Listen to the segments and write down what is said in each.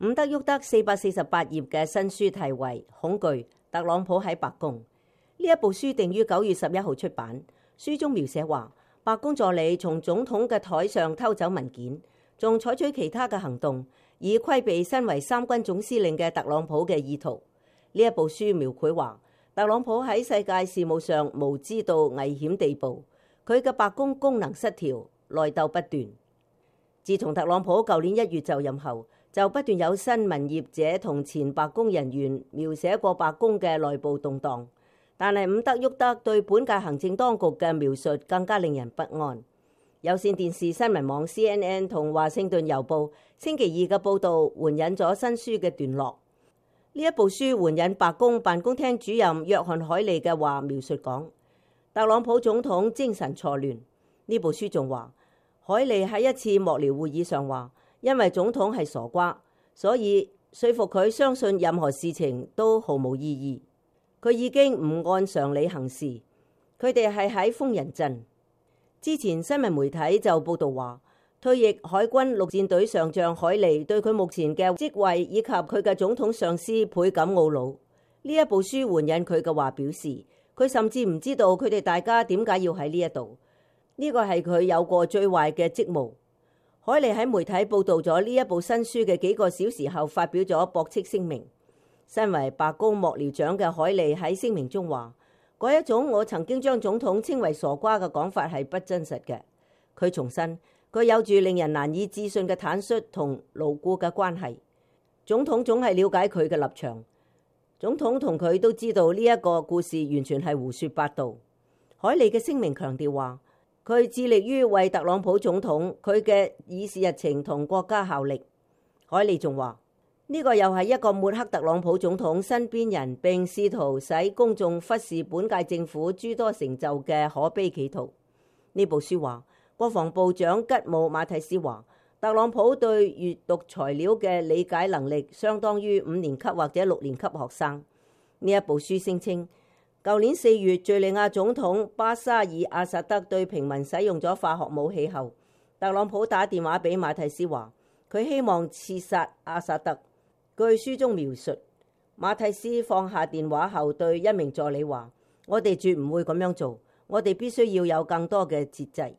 伍德沃德448頁嘅新書題為《恐懼：特朗普喺白宮》。呢一部書定於9月11號出版。書中描寫話，白宮助理從總統嘅台上偷走文件，仲採取其他嘅行動，以規避身為三軍總司令嘅特朗普嘅意圖。呢一部書描繪話，特朗普喺世界事務上無知到危險地步，佢嘅白宮功能失調，內鬥不斷。自從特朗普舊年1月就任後，就不斷有新聞業者同前白宮人員描寫過白宮嘅內部動盪，但係伍德沃德對本屆行政當局嘅描述更加令人不安。有線電視新聞網 CNN 同華盛頓郵報星期二嘅報導援引咗新書嘅段落。呢一部書援引白宮辦公廳主任約翰海利嘅話描述講，特朗普總統精神錯亂。呢部書仲話，海利喺一次幕僚會議上話，因為總統係傻瓜，所以說服佢相信任何事情都毫無意義。佢已經唔按常理行事。佢哋係喺瘋人鎮。之前新聞媒體就報道話，退役海軍陸戰隊上將海利對佢目前嘅職位以及佢嘅總統上司倍感懊惱。呢一部書援引佢嘅話表示，佢甚至唔知道佢哋大家點解要喺呢一度。呢個係佢有過最壞嘅職務。海利喺媒體報道咗呢一部新書嘅幾個小時後發表咗駁斥聲明。身為白宮幕僚長嘅海利喺聲明中話，嗰一種我曾經將總統稱為傻瓜嘅講法係不真實嘅。佢重申，佢有住令人難以置信嘅坦率同牢固嘅關係。總統總係了解佢嘅立場。總統同佢都知道呢一個故事完全係胡說八道。海利嘅聲明強調話，佢致力於為特朗普總統佢嘅議事日程同國家效力。海利仲話，呢個又係一個抹黑特朗普總統身邊人並試圖使公眾忽視本屆政府諸多成就嘅可悲企圖。呢部書話，國防部長吉姆馬蒂斯話，特朗普對閱讀材料嘅理解能力相當於5年級或者6年級學生。呢一部書聲稱，舊年4月敘利亞總統巴沙爾阿薩德對平民使用咗化學武器後，特朗普打電話俾馬蒂斯話，佢希望刺殺阿薩德。據書中描述，馬蒂斯放下電話後對一名助理話，我哋絕唔會咁樣做，我哋必須要有更多嘅節制。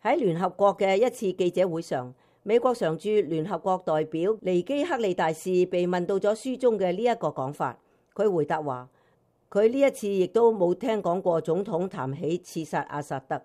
喺聯合國嘅一次記者會上，美國常駐聯合國代表尼基克利大使被問到咗書中嘅呢一個講法，佢回答話，佢呢一次亦都冇聽講過總統談起刺殺阿薩德。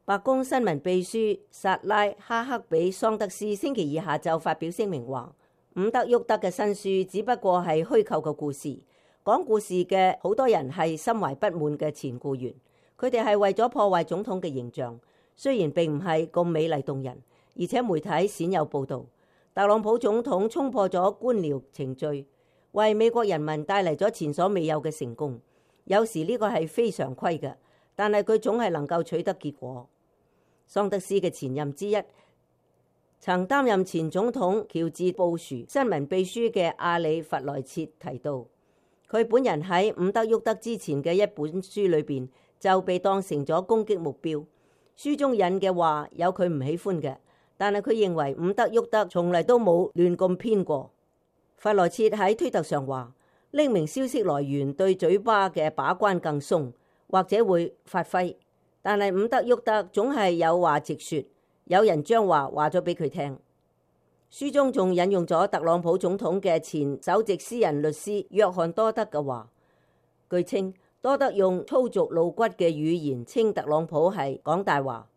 白宮新聞秘書薩拉哈克比桑德斯星期二下晝發表聲明話，伍德沃德嘅新書只不過係虛構嘅故事，講故事嘅好多人係心懷不滿嘅前僱員，佢哋係為咗破壞總統嘅形象，雖然並唔係咁美麗動人，而且媒體鮮有報導，特朗普總統衝破咗官僚程序，為美國人民帶嚟咗前所未有嘅成功。有時呢個係非常規嘅，但係佢總係能夠取得結果。桑德斯嘅前任之一，曾擔任前總統喬治布殊新聞秘書嘅阿里弗萊切提到，佢本人喺伍德沃德之前嘅一本書裏邊就被當成咗攻擊目標。書中引嘅話有佢唔喜歡嘅，但係佢認為伍德沃德從嚟都冇亂咁編過。弗萊切喺推特上話，匿名消息來源對嘴巴嘅把關更鬆，或者會發揮，但係伍德沃德總係有話直說，有人將話咗俾佢聽。書中仲引用咗特朗普總統嘅前首席私人律師約翰多德嘅話，據稱多德用粗俗露骨嘅語言稱特朗普係講大話，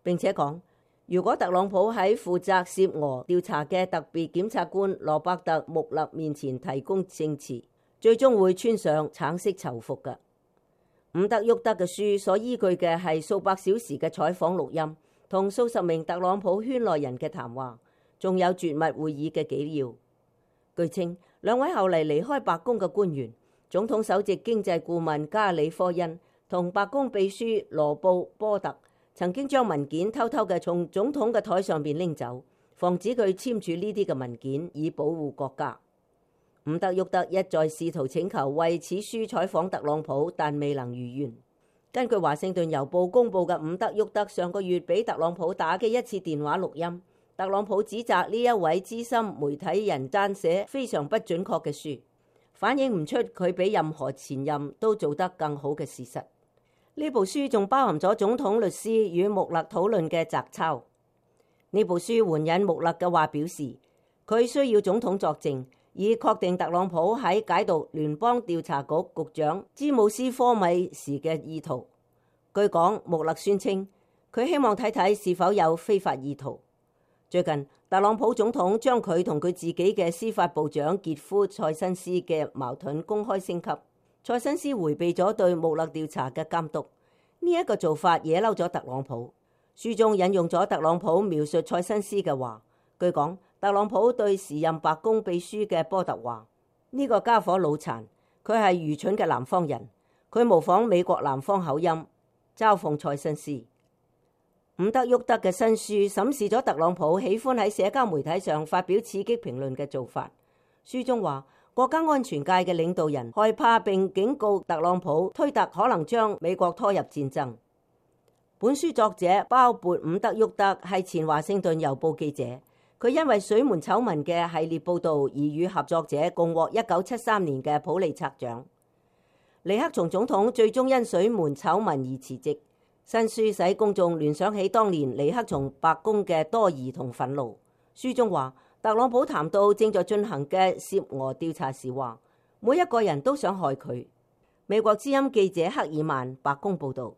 並且講，如果特朗普喺負責涉俄調查嘅特別檢察官羅伯特穆勒面前提供證詞，最終會穿上橙色囚服嘅。伍德沃德嘅書所依據嘅係數百小時嘅採訪錄音，同數十名特朗普圈內人嘅談話，仲有絕密會議嘅紀要。據稱，兩位後嚟離開白宮嘅官員，總統首席經濟顧問加里科恩同白宮秘書羅布波特，曾經將文件偷偷嘅從總統嘅台上邊拎走，防止佢簽署呢啲嘅文件，以保護國家。伍德沃德一再試圖請求為此書採訪特朗普，但未能如願。根據華盛頓郵報公佈嘅伍德沃德上個月俾特朗普打嘅一次電話錄音，特朗普指責呢一位資深媒體人撰寫非常不準確嘅書，反映唔出佢比任何前任都做得更好嘅事實。呢部書仲包含咗總統律師與穆勒討論嘅摘抄。呢部書援引穆勒嘅話表示，佢需要總統作證，以確定特朗普喺解讀聯邦調查局局長詹姆斯科米時嘅意圖。據講，穆勒宣稱佢希望睇睇是否有非法意圖。最近，特朗普總統將佢同佢自己嘅司法部長傑夫塞申斯嘅矛盾公開升級。塞申斯迴避咗對穆勒調查嘅監督，呢一個做法惹嬲咗特朗普。書中引用咗特朗普描述塞申斯嘅話。據講，特朗普對時任白宮秘書嘅波特話：呢個家伙腦殘，佢係愚蠢嘅南方人，佢模仿美國南方口音，嘲諷塞申斯。伍德沃德嘅新書審視咗特朗普喜歡喺社交媒體上發表刺激評論嘅做法。書中話，國家安全界嘅領導人害怕並警告特朗普推特可能將美國拖入戰爭。本書作者包括伍德沃德係前華盛頓郵報記者，佢因為水門醜聞嘅系列報導而與合作者共獲1973年嘅普利策獎。尼克松總統最終因水門醜聞而辭職。新書使公眾聯想起當年尼克松白宮嘅多疑同憤怒。書中話，特朗普談到正在進行嘅涉俄調查時話，每一個人都想害佢。美國之音記者克爾曼白宮報導。